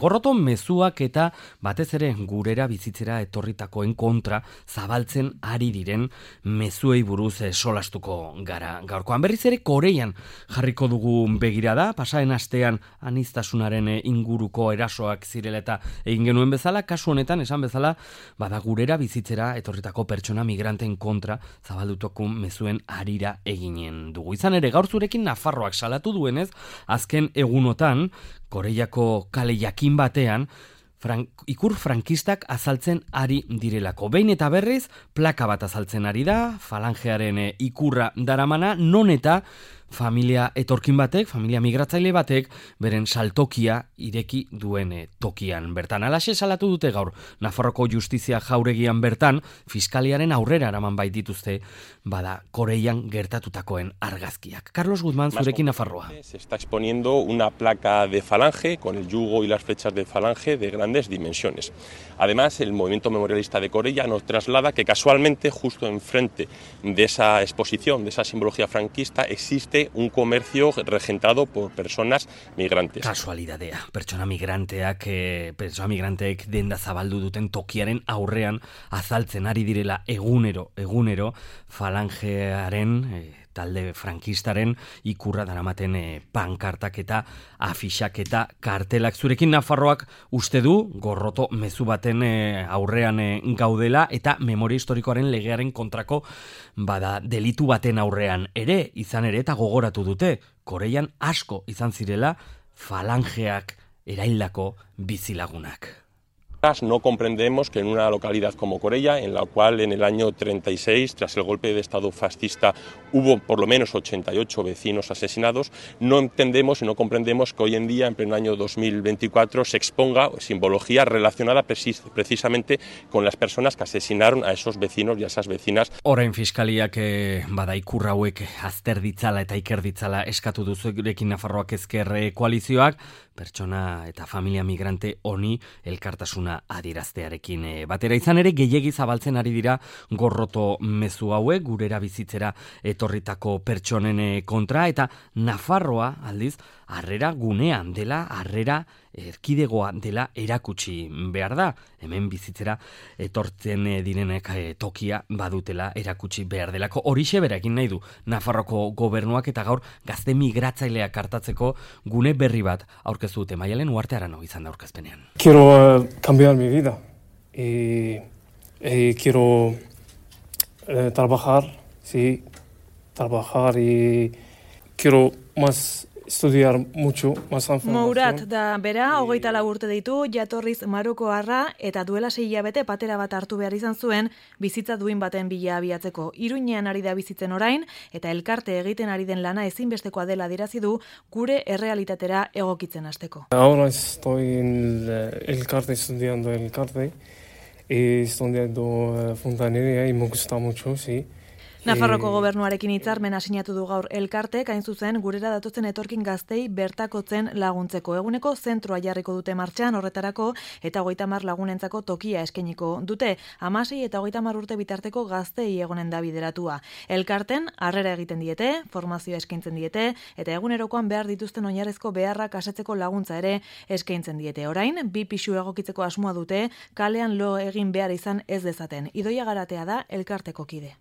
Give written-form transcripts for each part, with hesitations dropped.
Gorroto mezuak eta batez ere gurera bizitzera etorritakoen kontra zabaltzen ari diren mezuei buruz solastuko gara. Gaurkoan berriz ere Korean jarriko dugu begirada, pasaren astean aniztasunaren inguruko erasoak zirela eta egin genuen bezala, kasu honetan esan bezala, bada gurera bizitzera etorritako pertsona migranten kontra zabaldutako mezuen harira eginen dugu. Izan ere, gaur zurekin Nafarroak salatu duenez, azken egunotan Koreiako kale jakin batean ikur frankistak azaltzen ari direlako. Behin eta berriz, plaka bat azaltzen ari da, falangearen ikurra daramana, non eta familia etorkin batek, familia migratzaile batek, beren saltokia ireki duen tokian. Bertan, alaxe salatu dute gaur, Nafarroko Justizia jauregian bertan, fiskaliaren aurrera eraman baitituzte, bada Koreian gertatutakoen argazkiak. Carlos Guzmán, zurekin Nafarroa. Se está exponiendo una placa de falange con el yugo y las flechas de falange de grandes dimensiones. Además, el movimiento memorialista de Coreia nos traslada que casualmente, justo enfrente de esa exposición, de esa simbología franquista, existe un comercio regentado por personas migrantes. Kasualidadea, pertsona migranteek denda zabaldu duten tokiaren aurrean azaltzen ari direla egunero falangearen talde frankistaren ikurra daramaten pankartak eta afixak eta kartelak. Zurekin Nafarroak uste du gorroto mezu baten aurrean gaudela eta memoria historikoaren legearen kontrako bada delitu baten aurrean ere, izan ere eta gogoratu dute, Koreian asko izan zirela falangeak eraildako bizilagunak. No comprendemos que en una localidad como Coreia, en la cual en el año 36, tras el golpe de Estado fascista, hubo por lo menos 88 vecinos asesinados, no entendemos y no comprendemos que hoy en día, en pleno año 2024, se exponga simbología relacionada precisamente con las personas que asesinaron a esos vecinos y a esas vecinas. Orain fiskaliak bada ikur hauek azter ditzala eta iker ditzala eskatu duzurekin Nafarroak Ezker koalizioak, pertsona eta familia migrante honi elkartasuna adieraztearekin batera. Izan ere, gehiegi zabaltzen ari dira gorroto mezu hauek, gurera bizitzera etorritako pertsonen kontra, eta Nafarroa, aldiz, harrera gunean dela, harrera erkidegoa dela erakutsi behar da. Hemen bizitzera etortzen direnek tokia badutela erakutsi behar delako. Horixe bera egin nahi du Nafarroko gobernuak eta gaur gazte migratzaileak hartatzeko gune berri bat aurkeztu dute. Maialen Uarte Arano izan da aurkezpenean. Quiero cambiar mi vida y quiero trabajar y quiero más estudiar mucho, más información. Mourat da bera, 24 urte ditu, jatorriz Marokoarra eta duela 6 hilabete patera bat hartu behar izan zuen bizitza duin baten bila abiatzeko. Iruñean ari da bizitzen orain eta elkarte egiten ari den lana ezinbestekoa dela adierazi du gure errealitatera egokitzen hasteko. Ahora estoy en elkarte, estudiando elkarte y estudiando fontanería y me gusta mucho, sí. Nafarroko gobernuarekin hitzarmena sinatu du gaur elkartek, hain zuzen gurera datotzen etorkin gaztei bertakotzen laguntzeko. Eguneko zentroa jarriko dute martxan horretarako eta 30 lagunentzako tokia eskainiko dute. 16 eta 30 urte bitarteko gaztei egonen da bideratua. Elkarten harrera egiten diete, formazioa eskaintzen diete eta egunerokoan behar dituzten oinarrezko beharrak asetzeko laguntza ere eskaintzen diete. Orain, 2 pisu egokitzeko asmoa dute, kalean lo egin behar izan ez dezaten. Idoia Garatea da elkarteko kide.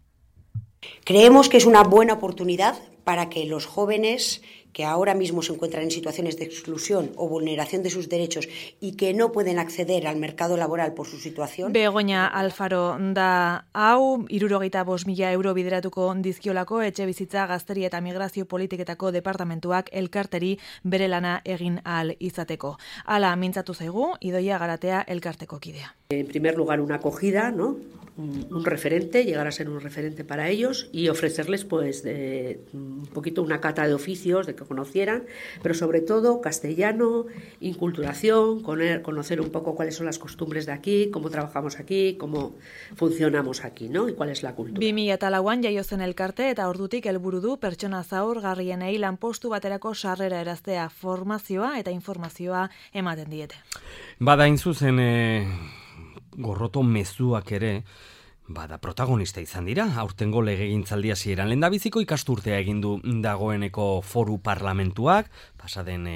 Creemos que es una buena oportunidad para que los jóvenes que ahora mismo se encuentran en situaciones de exclusión o vulneración de sus derechos y que no pueden acceder al mercado laboral por su situación. Begoña Alfaro da hau, 75.000 euro bideratuko dizkiolako etxebizitza, gazteri eta migrazio politiketako departamentuak elkarteri bere lana egin ahal izateko. Hala mintzatu zaigu, Idoia Garatea elkarteko kidea. En primer lugar, una acogida, ¿no? Un referente, llegar a ser un referente para ellos y ofrecerles pues un poquito una cata de oficios, de que conocieran, pero sobre todo castellano, inculturación, conocer un poco cuáles son las costumbres de aquí, cómo trabajamos aquí, cómo funcionamos aquí, ¿no? Y cuál es la cultura. 2004an jaio zen elkarte eta ordutik helburu du pertsona zaurgarrienei lanpostu baterako sarrera eraztea, formazioa eta informazioa ematen diete. Bada hain zuzen gorroto mezuak ere bada protagonista izan dira, aurtengo legegintzaldia hasieran lehendabiziko ikasturtea egin du dagoeneko foru parlamentuak, pasaden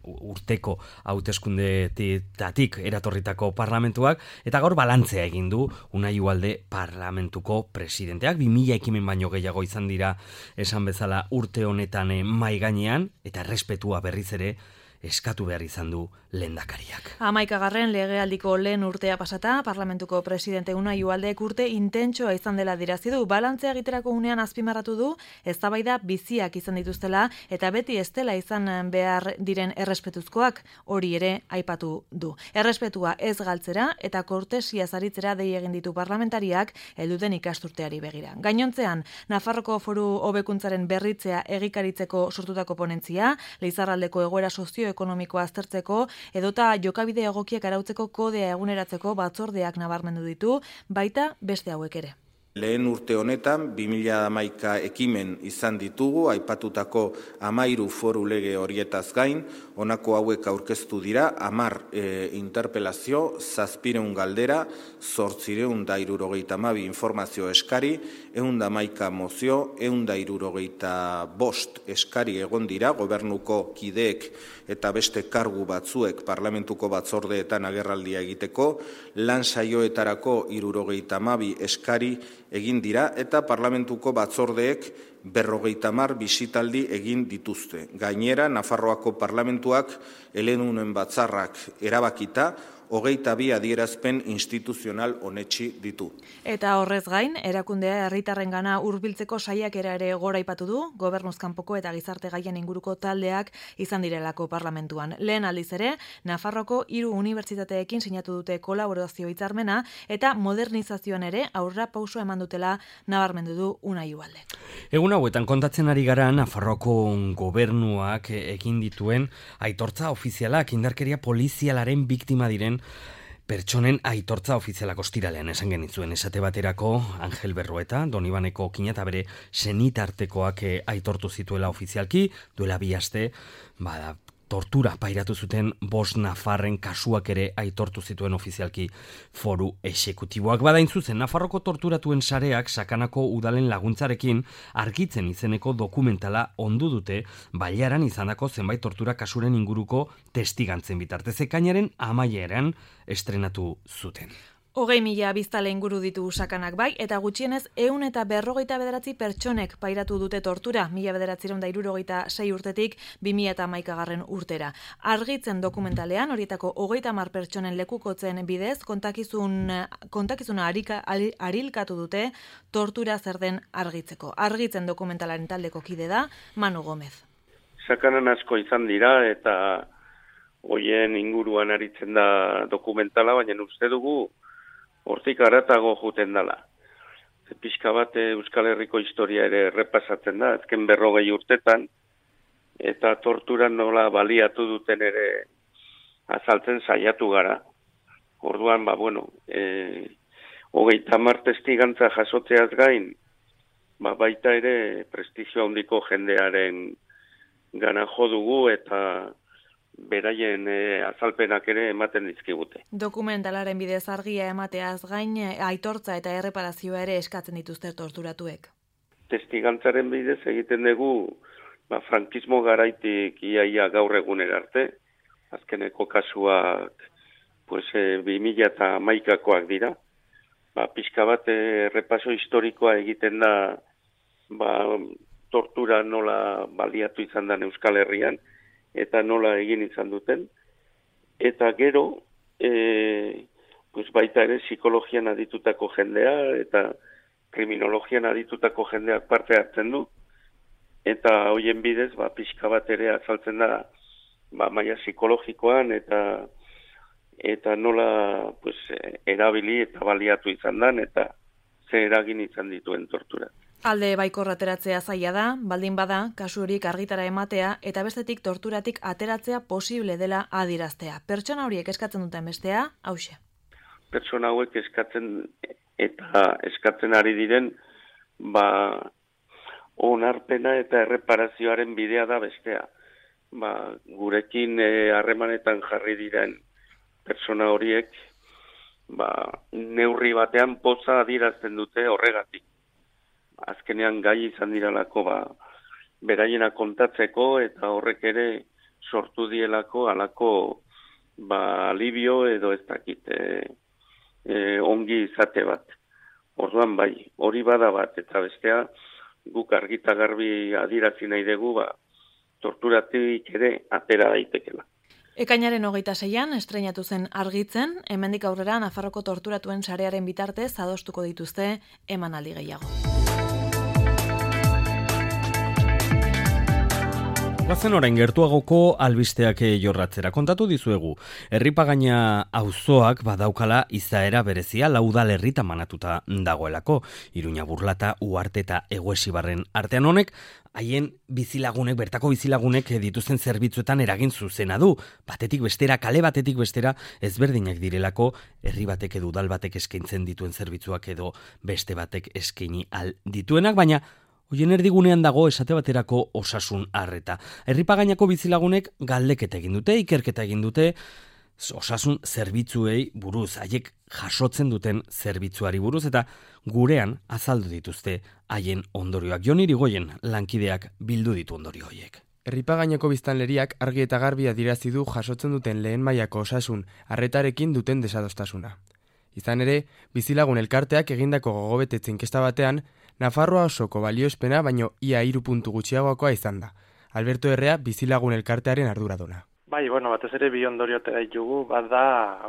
urteko hauteskundetatik eratorritako parlamentuak, eta gaur balantzea egin du Unai Ugalde parlamentuko presidenteak. 2000 ekimen baino gehiago izan dira esan bezala urte honetan mai gainean, eta errespetua berriz ere eskatu behar izan du lehendakariak. 11. legealdiko lehen urtea pasata, parlamentuko presidente Unai Ugaldek urte intentsoa izan dela adierazi du. Balantzea egiterako unean azpimarratu du, eztabaida biziak izan dituztela eta beti ez dela izan behar diren errespetuzkoak, hori ere aipatu du. Errespetua ez galtzera eta kortesia zaritzera dei egin ditu parlamentariak helduten ikasturteari begira. Gainontzean, Nafarroko Foru hobekuntzaren berritzea egikaritzeko sortutako ponentzia, Leizarraldeko egoera sozioekonomikoa aztertzeko edota jokabide egokiak arautzeko kodea eguneratzeko batzordeak nabarmendu ditu, baita beste hauek ere. Lehen urte honetan, 2011 ekimen izan ditugu, aipatutako 13 foru lege horietaz gain, honako hauek aurkeztu dira, 10 interpelazio, 700 galdera, 862 informazio eskari, 111 mozio, 165 eskari egon dira, gobernuko kideek eta beste kargu batzuek parlamentuko batzordeetan agerraldia egiteko, lan saioetarako 72 eskari egin dira eta parlamentuko batzordeek 50 bisitaldi egin dituzte. Gainera, Nafarroako parlamentuak eledunen batzarrak erabakita 22 adierazpen instituzional onetsi ditu. Eta horrez gain, erakundea herritarrengana hurbiltzeko saiakera ere goraipatu du, gobernuz kanpoko eta gizarte gaien inguruko taldeak izan direlako parlamentuan. Lehen aldiz ere, Nafarroko 3 unibertsitateekin sinatu dute kolaborazio hitzarmena eta modernizazioan ere aurra pauso eman dutela nabarmendu du Unai Ugalde. Egun hauetan kontatzen ari gara Nafarroko gobernuak egin dituen aitortza ofizialak indarkeria polizialaren biktima diren pertsonen aitortza ofizialak ostiralean esan genitzuen. Esate baterako Angel Berrueta, Donibaneko kina eta bere senitartekoak aitortu zituela ofizialki, duela 2 aste, tortura pairatu zuten 5 nafarren kasuak ere aitortu zituen ofizialki foru exekutiboak. Badain zuzen, Nafarroko torturatuen sareak sakanako udalen laguntzarekin argitzen izeneko dokumentala ondu dute bailaran izandako zenbait tortura kasuren inguruko testigantzen bitartez. Ekainaren 11ean estrenatu zuten. 20.000 biztale inguru ditu sakanak bai, eta gutxienez 159 pertsonek pairatu dute tortura, 1976 urtetik 2011 urtera. Argitzen dokumentalean, horietako 30 pertsonen lekukotzen bidez, kontakizuna arilkatu dute tortura zer den argitzeko. Argitzen dokumentalaren taldeko kide da, Manu Gomez. Sakanan asko izan dira, eta hoien inguruan aritzen da dokumentala, baina uste dugu hortik aratago juten dela. Pixka bat Euskal Herriko historia ere repasatzen da, azken 40 urtetan, eta torturan nola baliatu duten ere azaltzen saiatu gara. Orduan, 30 testigantza jasotzeaz gain, baita ere prestigio handiko jendearen gana jo dugu eta beraien azalpenak ere ematen dizkigute. Dokumentalaren bidez argia emateaz gain, aitortza eta erreparazioa ere eskatzen dituzte torturatuek. Testigantzaren bidez egiten dugu frankismo garaitik iaia gaur egunera arte, azkeneko kasuak 2011koak dira. Pixka bat repaso historikoa egiten da tortura nola baliatu izan da Euskal Herrian, eta nola egin izan duten. Eta gero, baita ere psikologian aditutako jendea eta kriminologian aditutako jendeak parte hartzen du. Eta hoien bidez, pixka bat ere azaltzen da maila psikologikoan eta nola erabili eta baliatu izan dan eta ze eragin izan dituen tortura. Alde baikorra ateratzea zaila da, baldin bada, kasu horiek argitara ematea eta bestetik torturatik ateratzea posible dela adiraztea. Pertsona horiek eskatzen duten bestea, hauxe. Pertsona hauek eskatzen ari diren, onarpena eta erreparazioaren bidea da bestea. Gurekin harremanetan jarri diren pertsona horiek, neurri batean poza adirazten dute horregatik. Azkenean gai izan diralako beraiena kontatzeko eta horrek ere sortu dielako alako alibio edo ez dakit ongi izate bat. Orduan bai, hori bada bat, eta bestea guk argita garbi adirazi nahi dugu, torturatik ere atera daitekela. Ekainaren 26an estreinatu zen Argitzen, hemendik aurrera Nafarroko torturatuen sarearen bitartez adostuko dituzte emanaldi gehiago. Bazen orain gertuagoko albisteak jorratzera kontatu dizuegu. Herripagaina auzoak badaukala izaera berezia laudal herritan manatuta dagoelako. Iruña, Burlata, Uharte eta Eguesibarren artean honek, haien bizilagunek, bertako bizilagunek dituzten zerbitzuetan eragin zuzena du. Batetik bestera, kale batetik bestera, ezberdinak direlako herri batek edo udal batek eskaintzen dituen zerbitzuak edo beste batek eskaini al dituenak, baina hoien erdigunean dago esate baterako osasun arreta. Herripagainako bizilagunek galdeketa egin dute, ikerketa egin dute, osasun zerbitzuei buruz, haiek jasotzen duten zerbitzuari buruz, eta gurean azaldu dituzte haien ondorioak. Jon Irigoyen lankideak bildu ditu ondorio horiek. Herripagainako biztanleriak argi eta garbi adierazi du jasotzen duten lehen mailako osasun arretarekin duten desadostasuna. Izan ere, bizilagun elkarteak egindako gogobetetze inkesta batean, Nafarroa osoko balioespena baino ia 3 puntu gutxiagokoa izan da. Alberto Herrea bizilagun elkartearen arduraduna. Bai, batez ere bi ondorio atera ditugu, bat da,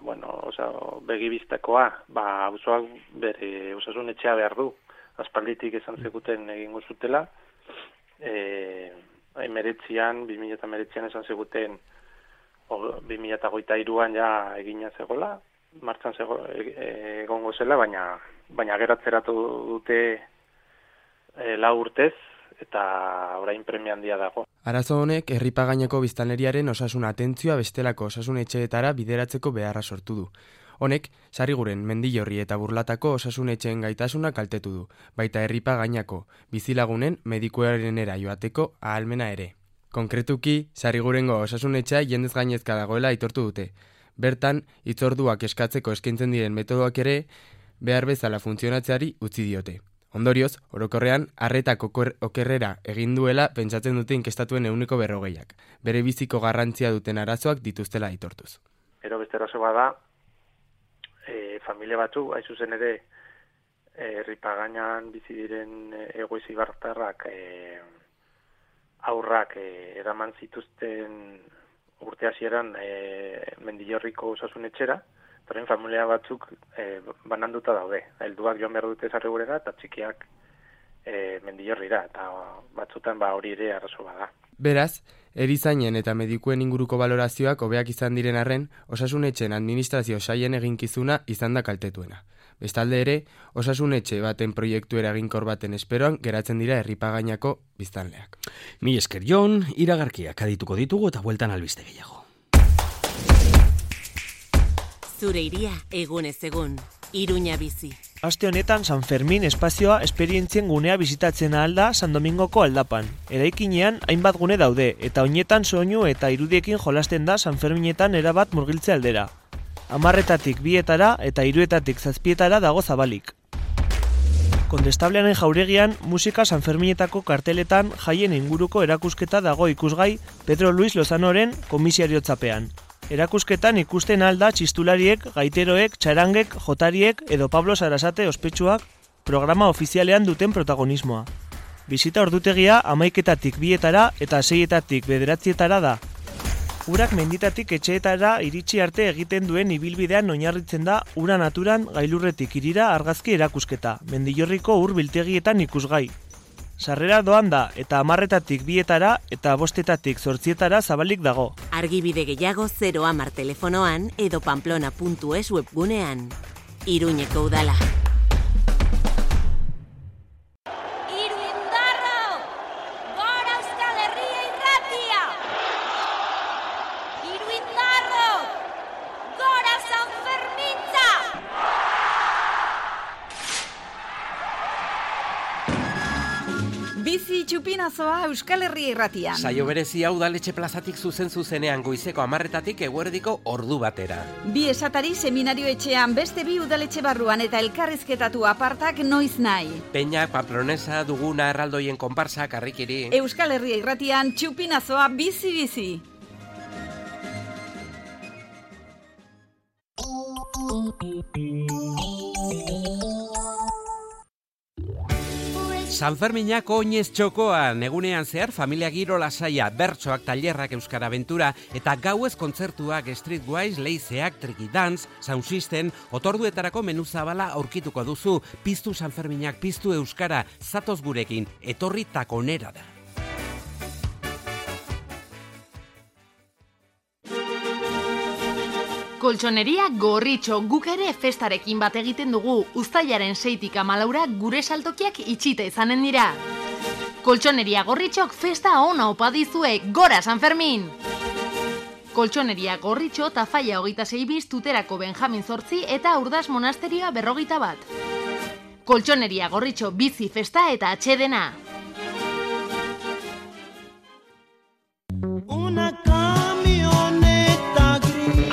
begibistakoa, auzoak bere osasun etxea behar du. Aspalditik esan zeguten egingo zutela, 2019an esan zeguten 2023an ja egina zegoela, martxan egongo zela, baina geratzeratu dute 4 urtez, eta orain premia handia dago. Arazo honek herripagainako biztanleriaren osasun atentzioa bestelako osasun etxeetara bideratzeko beharra sortu du. Honek, Sarriguren, Mendillorri eta Burlatako osasun etxeen gaitasuna kaltetu du, baita herripagainako bizilagunen medikuarenera joateko ahalmena ere. Konkretuki, Sarrigurengo osasun etxea jendez gainezka dagoela aitortu dute. Bertan, hitzorduak eskatzeko eskaintzen diren metodoak ere behar bezala funtzionatzeari utzi diote. Ondorioz, orokorrean, arretak okerrera egin duela pentsatzen dute inkestatuen 40%. Bere biziko garrantzia duten arazoak dituztela aitortuz. Ero beste arazo bada, familia batzu, hain zuzen ere, herripagainan bizi diren egoizibartarrak aurrak eraman zituzten urte hasieran Mendillorriko osasun etxera, Horren familia batzuk bananduta daude. Helduak joan behar dute Sarrigurera eta txikiak Mendillorrira, eta batzutan hori ere arazo bada. Beraz, erizainen eta medikuen inguruko balorazioak hobeak izan diren arren, osasunetxeen administrazio sailen eginkizuna izan da kaltetuena. Bestalde ere, osasunetxe baten proiektu eraginkor baten esperoan geratzen dira herripagainako biztanleak. Mi esker Jon, iragarkiak adituko ditugu eta bueltan albiste gehiago. Zure iria egunez egun, Iruña bizi. Aste honetan San Fermin espazioa esperientzien gunea bizitatzen ahal da San Domingoko aldapan. Eraikinean hainbat gune daude eta oinetan soinu eta irudiekin jolasten da San Ferminetan erabat murgiltze aldera. 10etatik 2etara eta 3etatik 7etara dago zabalik. Kondestablearen jauregian musika San Ferminetako karteletan jaien inguruko erakusketa dago ikusgai Pedro Luis Lozanoren komisariotzapean. Erakusketan ikusten alda txistulariek, gaiteroek, txarangek, jotariek edo Pablo Sarasate ospetsuak programa ofizialean duten protagonismoa. Bisita ordutegia 11etatik 2etara eta 6etatik 9etara da. Urak menditatik etxeetara iritsi arte egiten duen ibilbidean oinarritzen da ura naturan gailurretik irira argazki erakusketa, Mendillorriko ur biltegietan ikusgai. Sarrera doan da eta 10etatik 2etara eta 5etatik 8etara zabalik dago. Argibide gehiago 010 telefonoan edo pamplona.es webgunean. Iruñeko udala. Bizi txupinazoa Euskal Herria irratian. Saio berezia udaletxe plazatik zuzenean goizeko 10etatik eguerdiko ordu batera. Bi esatari seminario etxean beste bi udaletxe barruan eta elkarrizketatu apartak noiz nahi. Peñak, Pamplonesa, Duguna, Erraldoien konparsak, Harrikiri. Euskal Herria irratian txupinazoa bizi-bizi. Sanferminak oinez txokoan, egunean zehar familia giro lasaia, bertsoak, tailerrak, euskara abentura eta gauez kontzertuak, streetwise, leizeak, triki dance, sound system, otorduetarako menu zabala aurkituko duzu. Piztu Sanferminak, piztu euskara, zatoz gurekin, etorri takonera da. Koltsoneria Gorritxo, guk ere festarekin bat egiten dugu, uztailaren 6tik 14 gure saltokiak itxita izanen dira. Koltsoneria Gorritxok festa ona opa dizue, gora San Fermin! Koltsoneria Gorritxo Tafaia 26 bis, Tuterako Benjamin 8 eta Urdas Monasterioa 51. Koltsoneria Gorritxo bizi festa eta atxedena.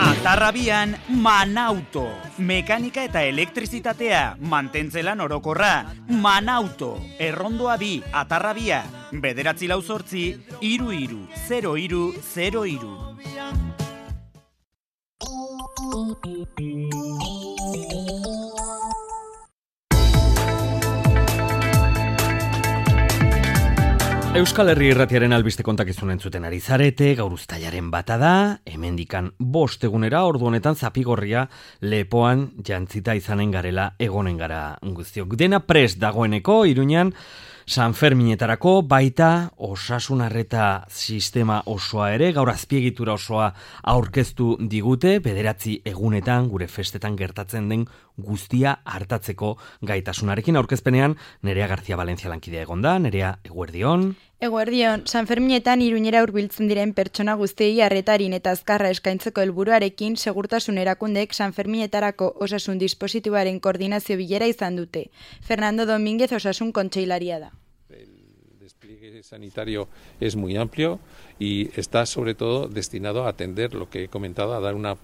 Atarrabian, Manauto. Mekanika eta elektrizitatea, mantentzelan orokorra. Manauto. Errondoa 2, Atarrabia. 948 33 0303. Euskal Herri Irratiaren albiste kontakizunen zuten ari zarete, gaur uztailaren bata da, hemendikan 5 egunera, ordu honetan Zapigorria lepoan jantzita izanen garela egonen gara guztiok. Dena prest dagoeneko, Iruñan, Sanferminetarako baita osasun arreta sistema osoa ere, gaur azpiegitura osoa aurkeztu digute, 9 egunetan gure festetan gertatzen den guztia hartatzeko gaitasunarekin. Aurkezpenean Nerea García Valencia lankidea egonda. Nerea, eguerdion. Eguerdion, Sanferminetan Iruñera hurbiltzen diren pertsona guztiei arretarin eta azkarra eskaintzeko helburuarekin segurtasun erakundek Sanferminetarako osasun dispositiboaren koordinazio bilera izan dute. Fernando Domínguez osasun kontseilaria da. El despliegue sanitario es muy amplio y está sobre todo destinado a atender lo que he comentado, a dar una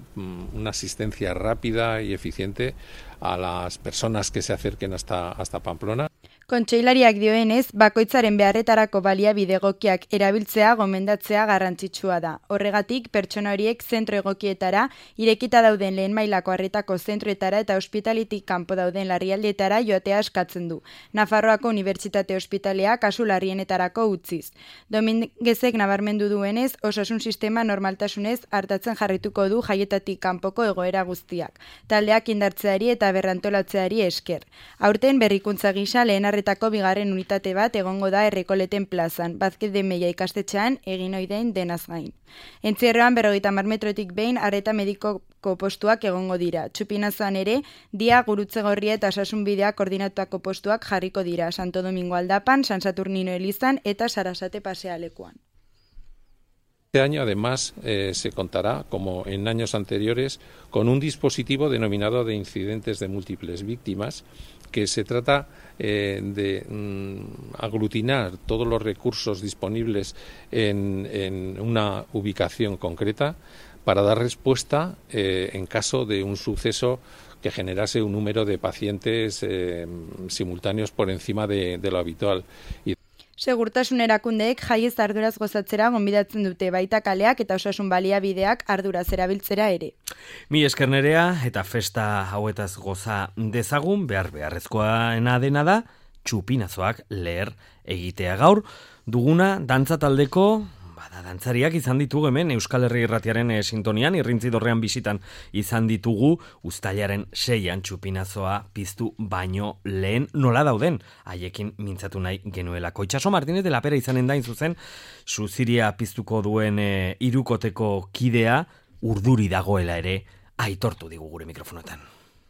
asistencia rápida y eficiente a las personas que se acerquen hasta Pamplona. Kontseilariak dioenez, bakoitzaren beharretarako baliabide egokiak erabiltzea gomendatzea garrantzitsua da. Horregatik, pertsona horiek zentro egokietara, irekita dauden lehen mailako arretako zentroetara eta ospitalitik kanpo dauden larrialdietara joatea eskatzen du. Nafarroako Unibertsitate Ospitalea kasu larrienetarako utziz. Dominguezek nabarmendu duenez, osasun sistema normaltasunez hartatzen jarrituko du jaietatik kanpoko egoera guztiak. Taldeak indartzeari eta berrantolatzeari esker. Aurten berrikuntza gisa lehen arretako bigarren unitate bat egongo da Errekoleten plazan, Bazkide de Meia ikastetxean egin oidein denaz gain. Entzierroan 50 metrotik behin arreta medikoko postuak egongo dira. Txupinazoan ere, Dia, Gurutzegorria eta Osasunbidea koordinatuako postuak jarriko dira, Santo Domingo Aldapan, San Saturnino Elizan eta Sarasate pasealekuan. Este año, además, se contará, como en años anteriores, con un dispositivo denominado de incidentes de múltiples víctimas, que se trata de aglutinar todos los recursos disponibles en una ubicación concreta para dar respuesta en caso de un suceso que generase un número de pacientes simultáneos por encima de lo habitual. Segurtasun erakundeek jaiez arduraz gozatzera gonbidatzen dute, baita kaleak eta osasun baliabideak arduraz erabiltzera ere. Mi esker Nerea, eta festa hauetaz goza dezagun, beharrezkoa dena da, txupinazoak leher egitea. Gaur duguna dantza taldeko dantzariak izan ditugu hemen Euskal Herri Irratiaren sintonian, Irrintzi Dorrean bisitan izan ditugu, uztailaren 6an txupinazoa piztu baino lehen nola dauden, haiekin mintzatu nahi genuelako. Itxaso Martínez de la Pera izanen da zuzen, suziria piztuko duen hirukoteko kidea urduri dagoela ere aitortu digu gure mikrofonotan.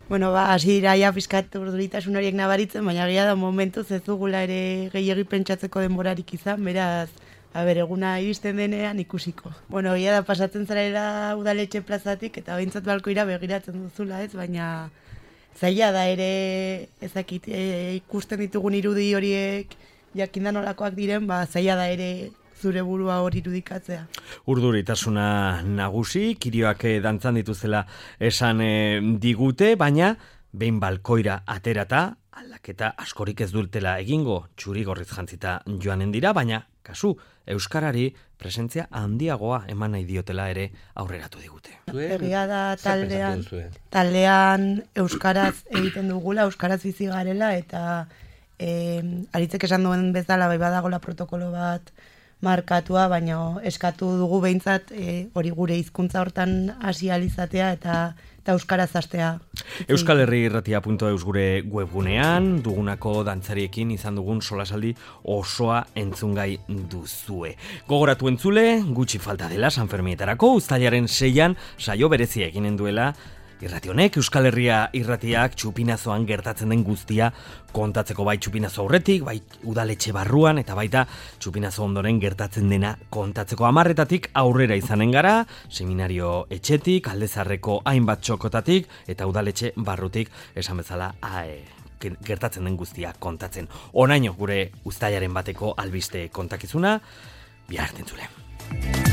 Bueno, hasi dira ja pizkat urduritasun horiek nabaritzen, baina gila da momentuz ez dugula ere gehiegi pentsatzeko denborarik izan, beraz eguna iristen denean ikusiko. Bueno, gila da pasatzen zarela udaletxe plazatik eta behintzat balkoira begiratzen duzula, ez? Baina zaila da ere ezakit ikusten ditugun irudi horiek jakindan olakoak diren, zaila da ere zure burua hori irudikatzea. Urduritasuna nagusi, kirioak dantzan dituzela esan digute, baina behin balkoira aterata, aldaketa askorik ez dutela egingo, txuri gorriz jantzita joanen dira, baina kasu, euskarari presentzia handiagoa eman nahi diotela ere aurreratu digute. Egia da taldean euskaraz egiten dugula, euskaraz bizi garela, eta Aritzek esan duen bezala bai badagola protokolo bat markatua, baina eskatu dugu behintzat hori gure hizkuntza hortan hasi alizatea eta euskaraz hastea. Euskal Herri Irratia.eus gure webgunean dugunako dantzariekin izan dugun solasaldi osoa entzungai duzue. Gogoratu entzule, gutxi falta dela Sanfermietarako uztailaren 6an saio berezia eginen duela irrati honek, Euskal Herria Irratiak Txupinazoan gertatzen den guztia kontatzeko, bai Txupinazo aurretik, bai udaletxe barruan, eta baita Txupinazo ondoren gertatzen dena kontatzeko. 10 aurrera izanen gara, seminario etxetik, Aldezarreko hainbat txokotatik, eta udaletxe barrutik, esan bezala, gertatzen den guztia kontatzen. Onaino gure uztailaren bateko albiste kontakizuna, bihar entzule.